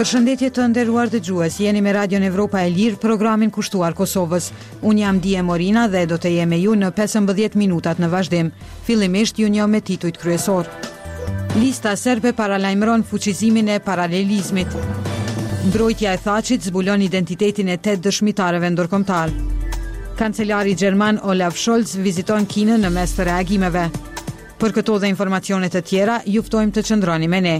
Përshëndetje të nderuar dëgjues, jeni me Radion Evropa e Lirë, programin kushtuar Kosovës. Unë jam Die Morina dhe do të jem me ju në 15 minutat në vazhdim. Fillimisht ju njoh me titujt kryesorë. Lista serbe paralajmëron fuqizimin e paralelizmit. Mbrojtja e Thaçit zbulon identitetin e 8 dëshmitarëve ndërkombëtarë. Kancelari gjerman Olaf Scholz viziton Kinën në mes të reagimeve. Për këto dhe informacione të tjera, ju ftojmë të qëndroni me ne.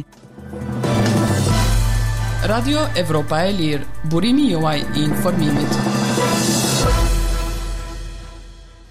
Radio Evropa e Lirë, burimi juaj i informimit.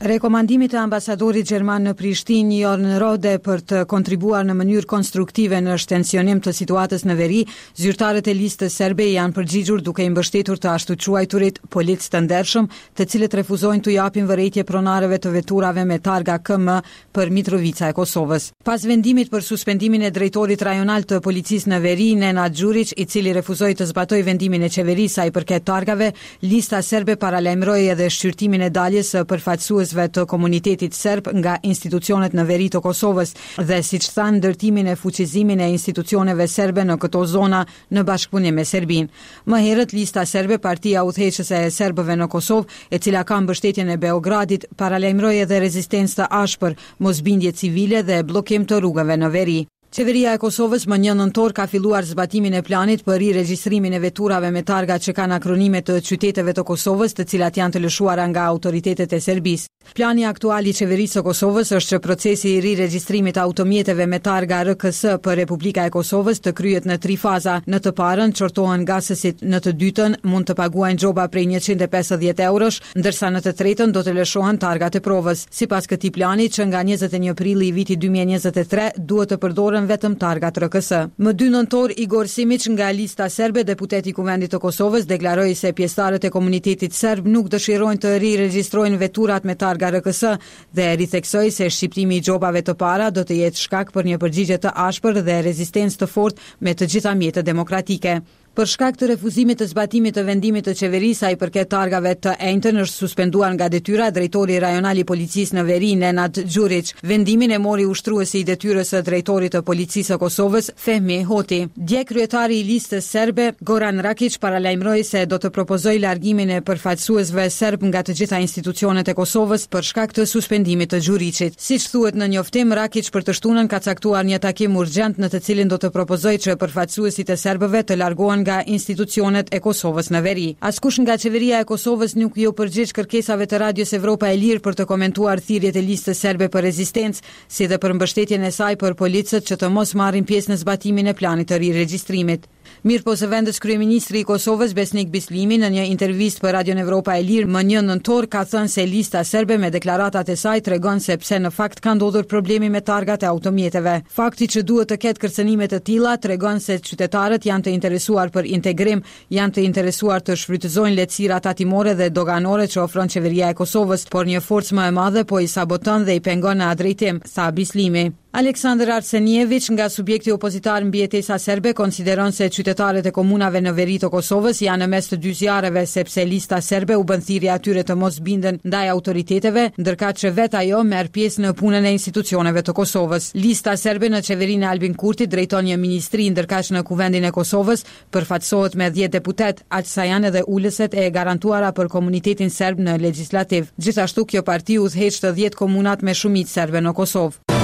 Rekomandimit të ambasadorit gjerman në Prishtinë, Jorn Rohde, për të kontribuar në mënyrë konstruktive në shtensionim të situatës në veri, zyrtarët e Listës Serbe i janë përgjigjur duke i mbështetur të ashtuquajturit policë të ndershëm, të cilët refuzojnë t'u japin vërejtje pronarëve të veturave me targa KM për Mitrovica e Kosovës. Pas vendimit për suspendimin e drejtorit rajonal të policisë në veri, Nenad Gjuriq, i cili refuzoi të zbatojë vendimin e qeverisë sa i përket targave, Lista Serbe paralajmëroi edhe shqyrtimin e daljes së përfaqësuesve të komunitetit serb nga institucionet në veri të Kosovës dhe, siç thanë, ndërtimin e fuqizimin e institucioneve serbe në këto zona në bashkëpunim me Serbinë. Më herët, Lista Serbe, partia udhëheqëse e serbëve në Kosovë, e cila ka mbështetjen e Beogradit, paralajmëroi edhe rezistencë të ashpër, mosbindje civile dhe bllokim të rrugëve në veri. Qeveria e Kosovës më një nëntor ka filluar zbatimin e planit për riregjistrimin e veturave me targa që kanë akronime të qyteteve të Kosovës, të cilat janë të lëshuara nga autoritetet e Serbisë. Plani aktual i Qeverisë së Kosovës është që procesi i riregjistrimit të automjeteve me targa RKS për Republika e Kosovës të kryhet në tri faza. Në të parën, qortohen ngasësit, në të dytën, mund të paguajnë gjoba prej 150 eurosh, ndërsa në të tretën do të lëshohen targat e provës. Sipas këtij plani, që nga 21 prilli i vitit 2023, duhet të përdoren vetëm targat RKS. Më 2 nëntor, Igor Simiq nga Lista Serbe, deputet i Kuvendit të Kosovës, deklaroi se pjesëtarët e komunitetit serb nuk dëshirojnë të riregjistrojnë veturat me targa RKS dhe ritheksoi se shqiptimi i gjobave të para do të jetë shkak për një përgjigje të ashpër dhe rezistencë të fortë me të gjitha mjetet demokratike. Për shkak të refuzimit të zbatimit të vendimit të qeverisë sa i përket targave të enjten është suspenduar nga detyra drejtori rajonal i policisë në veri Nenad Gjuriq. Vendimin e mori ushtruesi i detyrës së drejtorit të Policisë së Kosovës, Fehmi Hoti. Dje kryetari i Listës Serbe, Goran Rakiq paralajmëroi se do të propozojë largimin e përfaqësuesve serbë nga të gjitha institucionet e Kosovës për shkak të suspendimit të Gjuriqit. Siç thuhet në njoftim, Rakiq për të shtunën ka caktuar një takim urgjent në të cilin do të propozojë që përfaqësuesit e serbëve të largohen nga institucionet e Kosovës në veri. Askush nga Qeveria e Kosovës nuk iu përgjigj kërkesave të Radios Evropa e Lirë për të komentuar thirrjet e Listës Serbe për rezistencë, si dhe për mbështetjen e saj për policët që të mos marrin pjesë në zbatimin e planit të riregjistrimit. Mirëpo zëvendës kryeministri i Kosovës, Besnik Bislimi, në një intervistë për Radion Evropa e Lirë më një nëntor ka thënë se Lista Serbe me deklaratat e saj tregon se pse në fakt ka ndodhur problemi me targat e automjeteve. Fakti që duhet të ketë kërcënime të tilla tregon se qytetarët janë të interesuar për integrim, janë të interesuar të shfrytëzojnë lehtësirat tatimore dhe doganore që ofron Qeveria e Kosovës, por një forcë më e madhe po i saboton dhe i pengon në atë drejtim, tha Bislimi. Aleksandar Arsenieviq nga subjekti opozitar Mbijetesa Serbe konsideron se qytetarët e komunave në veri të Kosovës janë në mes të dy zjarreve sepse Lista Serbe u bën thirrje atyre të mos binden ndaj autoriteteve, ndërkaq që vetë ajo merr pjesë në punën e institucioneve të Kosovës. Lista Serbe në qeverinë e Albin Kurtit drejton një ministri, ndërkaq në Kuvendin e Kosovës Përfaqësohet me dhjetë deputetë, aq sa janë edhe ulëset e garantuara për komunitetin serb në legjislativ. Gjithashtu, kjo parti udhëheq të dhjetë komunat me shumicë serbe në Kosovë.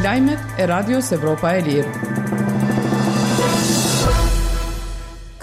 Lajmet e Radios Evropa e Lirë.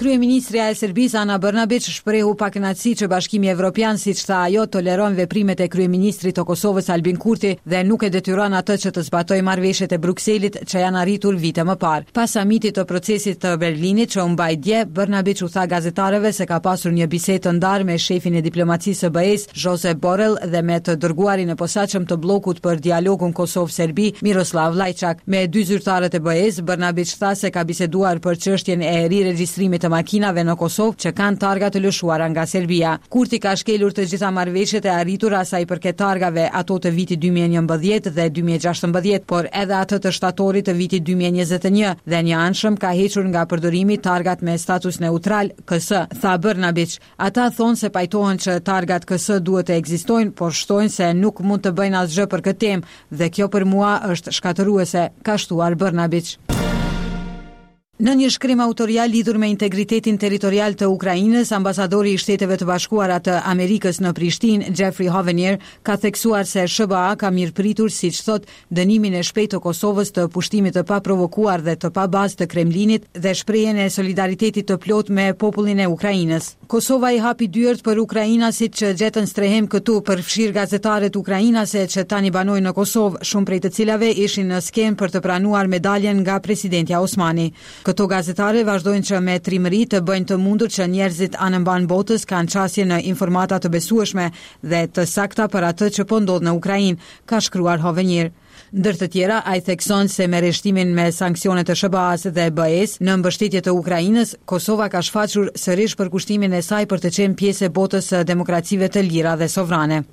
Kryeministrja e Serbisë, Ana Bërnabiq, shprehu pakënaqësi që Bashkimi Evropian, siç tha ajo, toleron veprimet e kryeministrit të Kosovës, Albin Kurti, dhe nuk e detyron atë që të zbatojë marrëveshjet e Brukselit që janë arritur vite më parë. Pas samitit të Procesit të Berlinit që u mbajt dje, Bërnabiq u tha gazetarëve se ka pasur një bisedë të ndarë me shefin e diplomacisë së BE-së, Josep Borrell dhe me të dërguarin e posaçëm të bllokut për dialogun Kosovë-Serbi, Miroslav Lajçak. Me dy zyrtarët e BE-së, Bërnabiq tha se ka biseduar për çështjen e riregjistrimit të makinave në Kosovë që kanë targa të lëshuara nga Serbia. Kurti ka shkelur të gjitha marrëveshjet e arritura sa i përket targave, ato të vitit 2011 dhe 2016, por edhe atë të shtatorit të vitit 2021 dhe njëanshëm ka hequr nga përdorimi targat me status neutral, KS, tha Bërnabiq. Ata thonë se pajtohen që targat KS duhet të ekzistojnë, por shtojnë se nuk mund të bëjnë asgjë për këtë temë dhe kjo për mua është shkatërruese, ka shtuar Bërnabiq. Në një shkrim autorial lidhur me integritetin territorial të Ukrainës, ambasadori i Shteteve të Bashkuara të Amerikës në Prishtinë, Jeffrey Hovenier, ka theksuar se SHBA ka mirëpritur, siç thotë, dënimin e shpejtë të Kosovës të pushtimit të paprovokuar dhe të pabazë të Kremlinit dhe shprehjen e solidaritetit të plotë me popullin e Ukrainës. Kosova i hapi dyert për ukrainasit që gjetën strehim këtu, përfshirë gazetaret ukrainase që tani banojnë në Kosovë, shumë prej të cilave ishin në skenë për të pranuar medaljen nga presidentja Osmani. Këto gazetare vazhdojnë që me trimëri të bëjnë të mundur që njerëzit anembanë botës kanë qasje në informata të besueshme dhe të sakta për atë që po ndodh në Ukrainë, ka shkruar Hovenier. Ndër të tjera, ai thekson se me rreshtimin me sanksionet e SHBA-së dhe BE-së në mbështetje të Ukrainës, Kosova ka shfaqur sërish përkushtimin e saj për të qenë pjesë e botës së demokracive të lira dhe sovrane.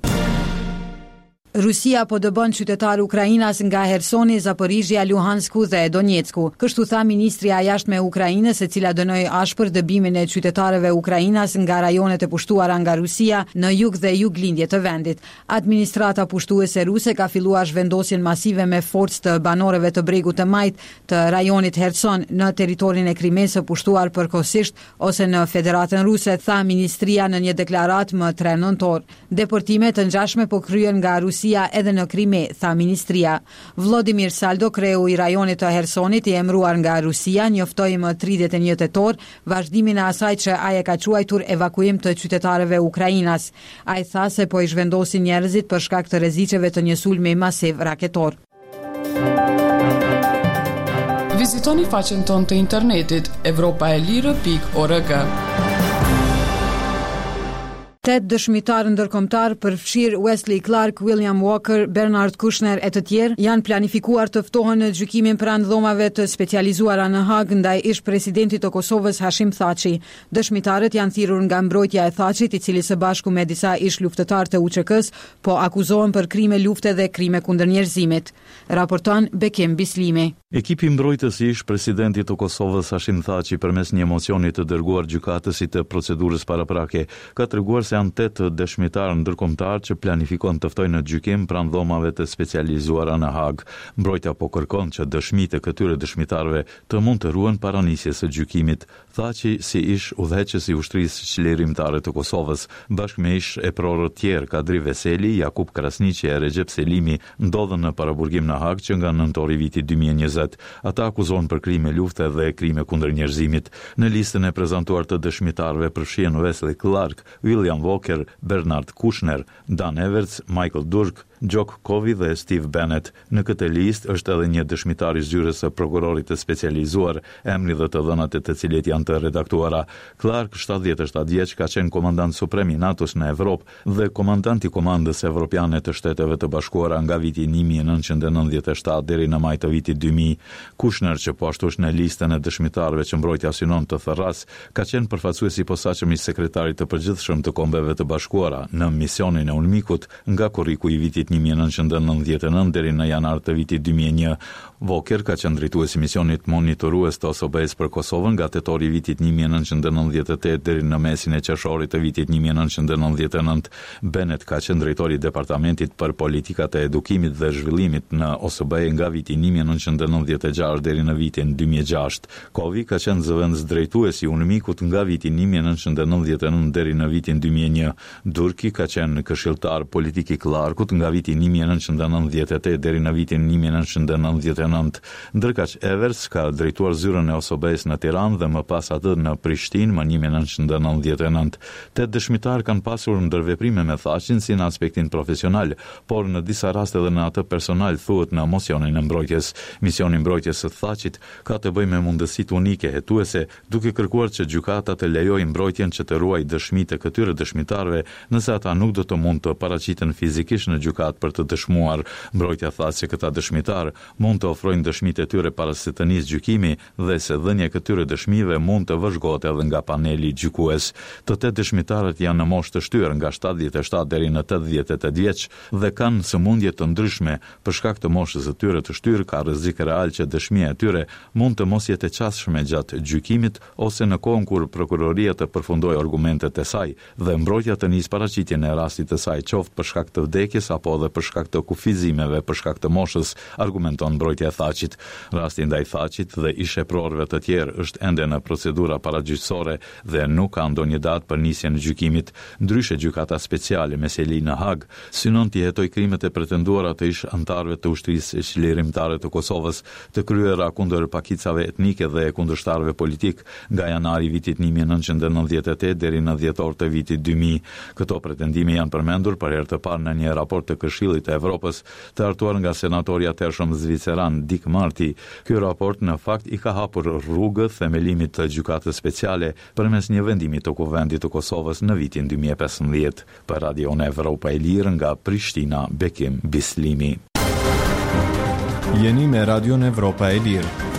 Rusia po dëbon qytetarë ukrainas nga Hersoni, Zaporizhia, Luhansku dhe Donjecku. Kështu tha ministrja e Jashtme e Ukrainës, e cila dënoi ashpër dëbimin e qytetarëve ukrainas nga rajonet e pushtuara nga Rusia në jug dhe juglindje të vendit. Administrata pushtuese ruse ka filluar zhvendosjen masive me forcë të banorëve të bregut të majtë të rajonit Herson në territorin e Krimesë së pushtuar përkohësisht ose në Federatën Ruse, tha ministria në një deklaratë më 3 nëntor. Deportime të ngjashme po kryhen nga Rusia edhe në Krime, tha ministria. Vlodimir Saldo, kreu i rajonit të Hersonit, i emëruar nga Rusia, njoftoi më 31 tetor vazhdimin e asaj që ai e ka quajtur evakuim të qytetarëve ukrainas. Ai tha se po i zhvendosin njerëzit për shkak të rreziqeve të një sulmi masiv raketor. Vizitoni faqen tonë të internetit evropaelire.org. Tetë dëshmitarë ndërkombëtarë, përfshirë Wesley Clark, William Walker, Bernard Kouchner e të tjerë, janë planifikuar të ftohen në gjykimin pranë dhomave të specializuara në Hagë ndaj ish-presidentit të Kosovës Hashim Thaçi. Dëshmitarët janë thirrur nga mbrojtja e Thaçit, i cili së bashku me disa ish-luftëtarë të UÇK-së po akuzohen për krime lufte dhe krime kundër njerëzimit. Raporton Bekim Bislimi. Ekipi mbrojtës i ish-presidentit të Kosovës, Hashim Thaçi, përmes një mocioni të dërguar gjykatësit të procedurës paraprake, ka treguar se janë tetë dëshmitarë ndërkombëtarë që planifikon të ftojë në gjykim pranë dhomave të specializuara në Hagë. Mbrojtja po kërkon që dëshmitë e këtyre dëshmitarëve të mund të ruhen para nisjes së gjykimit. Thaçi, si ish udhëheqës i Ushtrisë Çlirimtare të Kosovës, bashkë me ish eprorët tjerë Kadri Veseli, Jakup Krasniqi e Rexhep Selimi, ndodhen në paraburgim në Hagë që nga nëntori i vitit 2020. Ata akuzohen për krime lufte dhe krime kundër njerëzimit. Në listën e prezantuar të dëshmitarëve përfshihen Wesley Clark, William Walker, Bernard Kouchner, Dan Everts, Michael Durk, Jock Covey dhe Steve Bennett. Në këtë listë është edhe një dëshmitar i zyrës së prokurorit të specializuar, emri dhe të dhënat e të cilit janë të redaktuara. Clark, 77 vjeç, ka qenë komandant suprem i NATO-s në Evropë dhe komandant i Komandës Evropiane të Shteteve të Bashkuara nga viti 1997 deri në maj të vitit 2000. Kushner, që po ashtu është në listën e dëshmitarëve që mbrojtja synon të thërrasë, ka qenë përfaqësues i posaçëm i Sekretarit të Përgjithshëm të Kombeve të Bashkuara në misionin e UNMIK-ut nga korriku i vitit 1999 deri në janar të vitit 2001. Voker ka qenë drejtues i misionit monitorues të OSBE-së për Kosovën nga tetori i vitit 1998 deri në mesin e qershorit të vitit 1999. Bennett ka qenë drejtor i Departamentit për Politikat e Edukimit dhe Zhvillimit në OSBE nga viti 1996 deri në vitin 2006. Covey ka qenë zëvendësdrejtues i UNMIK-ut nga viti 1999 deri në vitin 2001. Durki ka qenë këshilltar politik i Clarkut nga viti 1998 deri në vitin 1999. Ndërkaq Everts ka drejtuar zyrën e OSBE-së në Tiranë dhe më pas atë në Prishtinë më 1999. Tetë dëshmitarë kanë pasur ndërveprime me Thaçin si në aspektin profesional, por në disa raste edhe në atë personal, thuhet në mocionin e mbrojtjes. Misioni i mbrojtjes së Thaçit ka të bëjë me mundësitë unike hetuese, duke kërkuar që gjykata të lejojë mbrojtjen që të ruajë dëshmitë e këtyre dëshmitarëve, nëse ata nuk do të mund të paraqiten fizikisht në gjykatë për të dëshmuar. Mbrojtja tha se këta dëshmitarë mund të ofrojnë dëshmitë e tyre para se të nisë gjykimi dhe se dhënia e këtyre dëshmive mund të vëzhgohet edhe nga paneli gjykues. Të tetë dëshmitarët janë në moshë të shtyrë nga 77 deri në 88 vjeç dhe kanë sëmundje të ndryshme, Për shkak të moshës së tyre të shtyrë, ka rrezik real që dëshmia e tyre mund të mos jetë e qasshme gjatë gjykimit ose në kohën kur prokuroria të përfundojë argumentet e saj dhe mbrojtja të nisë paraqitjen e rastit të saj qoftë për shkak të vdekjes apo. po edhe për shkak të kufizimeve për shkak të moshës, argumenton mbrojtja e Thaçit. Rasti ndaj Thaçit dhe ish-eprorëve të tjerë është ende në procedura paragjyqësore dhe nuk ka ndonjë datë për nisjen e gjykimit. Ndryshe Gjykata Speciale me seli në Hagë synon t'i hetojë krimet e pretenduara të ish-anëtarëve të Ushtrisë Çlirimtare të Kosovës, të kryera kundër pakicave etnike dhe kundërshtarëve politikë nga janari i vitit 1998 deri në dhjetor të vitit 2000. Këto pretendime janë përmendur për herë të parë në një raport të Këshillit të Evropës, të hartuar nga senatori i atëhershëm zviceran Dick Marty. Ky raport në fakt i ka hapur rrugë themelimit të Gjykatës Speciale përmes një vendimi të Kuvendit të Kosovës në vitin 2015. Për Radion Evropa e Lirë nga Prishtina, Bekim Bislimi. Jeni me Radion Evropa e Lirë.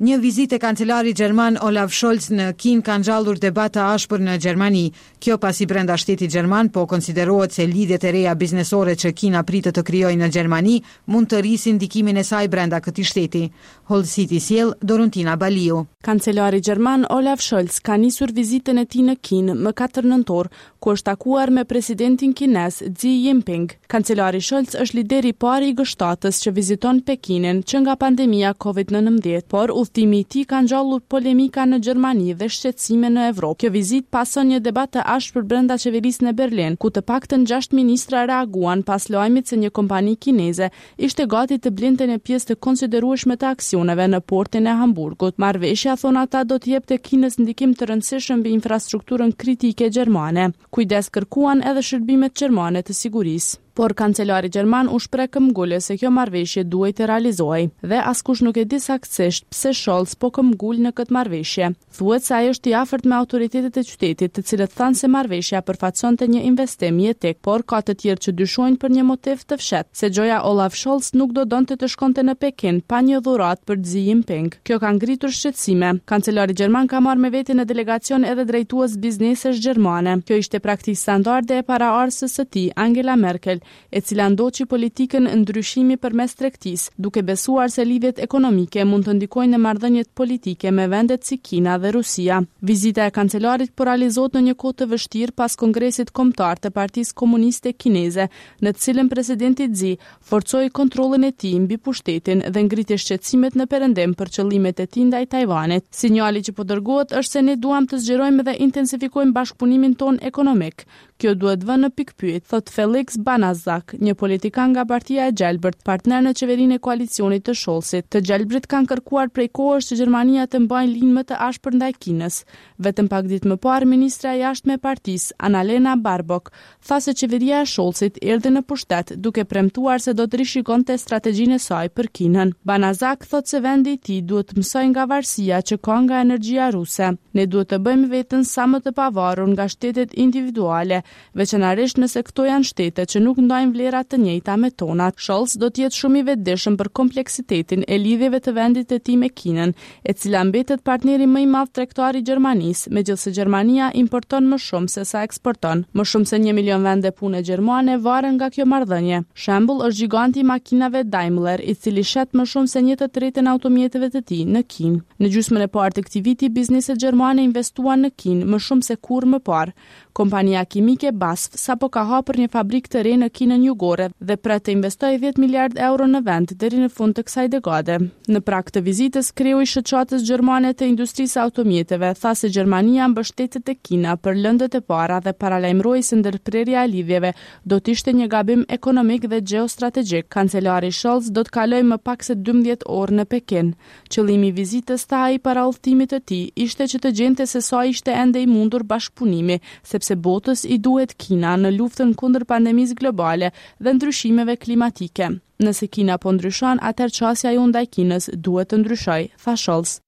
Një vizitë e kancelarit gjerman Olaf Scholz në Kinë ka ngjallur debat të ashpër në Gjermani. Kjo pasi brenda shtetit gjerman po konsiderohet se lidhjet e reja biznesore që Kina pritet të krijojë në Gjermani mund të rrisin ndikimin e saj brenda këtij shteti. Hollësitë i sjell Doruntina Baliu. Kancelari gjerman Olaf Scholz ka nisur vizitën e tij në Kinë më 4 nëntor, ku është takuar me presidentin kinez Xi Jinping. Kancelari Scholz është lideri i parë i G7-ës që viziton Pekinin që nga pandemia Covid-19, por udhëtimi i tij ka ngjallur polemika në Gjermani dhe shqetësime në Evropë. Kjo vizitë pason një debat të ashpër brenda qeverisë në Berlin, ku të paktën 6 ministra reaguan pas lajmit se një kompani kineze ishte gati të blinte një pjesë të konsiderueshme të aksioneve në portin e Hamburgut. Marrëveshja, thonë ata, do t'i jepte Kinës ndikim të rëndësishëm mbi infrastrukturën kritike gjermane. Kujdes kërkuan edhe shërbimet gjermane të sigurisë. Por kancelari gjerman u shpreh këmbëngulës se kjo marrëveshje duhej të realizohej. Dhe askush nuk e di saktësisht pse Scholz po këmbëngul në këtë marrëveshje. Thuhet se ai është i afërt me autoritetet e qytetit, të cilët thanë se marrëveshja përfaqësonte një investim jetik, por ka të tjerë që dyshojnë për një motiv të fshehtë, se gjoja Olaf Scholz nuk do donte të shkonte në Pekin pa një dhuratë për Xi Jinping. Kjo ka ngritur shqetësime. Kancelari gjerman ka marrë me vete në delegacion edhe drejtues biznesesh gjermane. Kjo ishte praktikë standarde e paraardhëses së tij, Angela Merkel, e cila ndoqi politikën ndryshimi përmes tregtisë, duke besuar se lidhjet ekonomike mund të ndikojnë në marrëdhëniet politike me vendet si Kina dhe Rusia. Vizita e kancelarit po realizohet në një kohë të vështirë pas Kongresit Kombëtar të Partisë Komuniste Kineze, në të cilën presidenti Xi forcoi kontrollin e tij mbi pushtetin dhe ngriti shqetësimet në Perëndim për qëllimet e tij ndaj Tajvanit. Sinjali që po dërgohet është se ne duam të zgjerojmë dhe intensifikojmë bashkëpunimin tonë ekonomik, Kjo duhet vënë në pikëpyetje, thotë Felix Banaszak, një politikan nga Partia e Gjelbërt, partner në qeverinë e koalicionit të Scholzit. Të Gjelbrit kanë kërkuar prej kohësh që Gjermania të mbajë linjë më të ashpër ndaj Kinës. Vetëm pak ditë më parë, ministrja e Jashtme e partisë, Annalena Baerbock, tha se qeveria e Scholzit erdhi në pushtet duke premtuar se do të rishikonte strategjinë e saj për Kinën. Banaszak thotë se vendi i tij duhet të mësojë nga varësia që ka nga energjia ruse. Ne duhet të bëjmë veten sa më të pavarur nga shtetet individuale, veçanërisht nëse këto janë shtete që nuk ndajnë vlera të njëjta me tonat. Scholz do të jetë shumë i vetëdijshëm për kompleksitetin e lidhjeve të vendit të tij me Kinën, e cila mbetet partneri më i madh tregtar i Gjermanisë, megjithëse Gjermania importon më shumë se sa eksporton. Më shumë se një milion vende pune gjermane varen nga kjo marrëdhënie. Shembull është gjiganti i makinave Daimler, i cili shet më shumë se një të tretën e automjeteve të tij në Kinë. Në gjysmën e parë të këtij viti, bizneset gjermane investuan në Kinë më shumë se kurrë më parë. Kompania kimike BASF sapo ka hapur një fabrikë të re në Kinën Jugore dhe pret të investojë 10 miliardë euro në vend deri në fund të kësaj dekade. Në prag të vizitës, kreu i Shoqatës Gjermane të Industrisë së Automjeteve tha se Gjermania mbështetet te Kina për lëndët e para dhe paralajmëroi se ndërprerja e lidhjeve do të ishte një gabim ekonomik dhe gjeostrategjik. Kancelari Scholz do të kalojë më pak se 12 orë në Pekin. Qëllimi i vizitës, tha ai para udhëtimit të tij, ishte që të gjente se sa ishte ende i mundur bashkëpunimi, sepse botës i duhet Kina në luftën kundër pandemisë globale dhe ndryshimeve klimatike. Nëse Kina po ndryshon, atëherë qasja jonë ndaj Kinës duhet të ndryshojë, tha Scholz.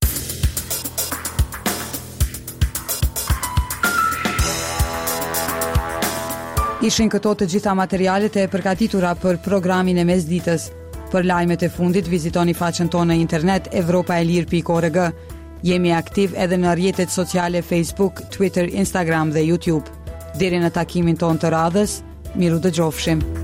Ishin këto të gjitha materialet e përgatitura për programin e mesditës. Për lajmet e fundit vizitoni faqen tonë në internet evropaelire.org. Jemi aktiv edhe në rrjetet sociale Facebook, Twitter, Instagram dhe YouTube. Deri në takimin tonë të radhës, mirudëgjofshim.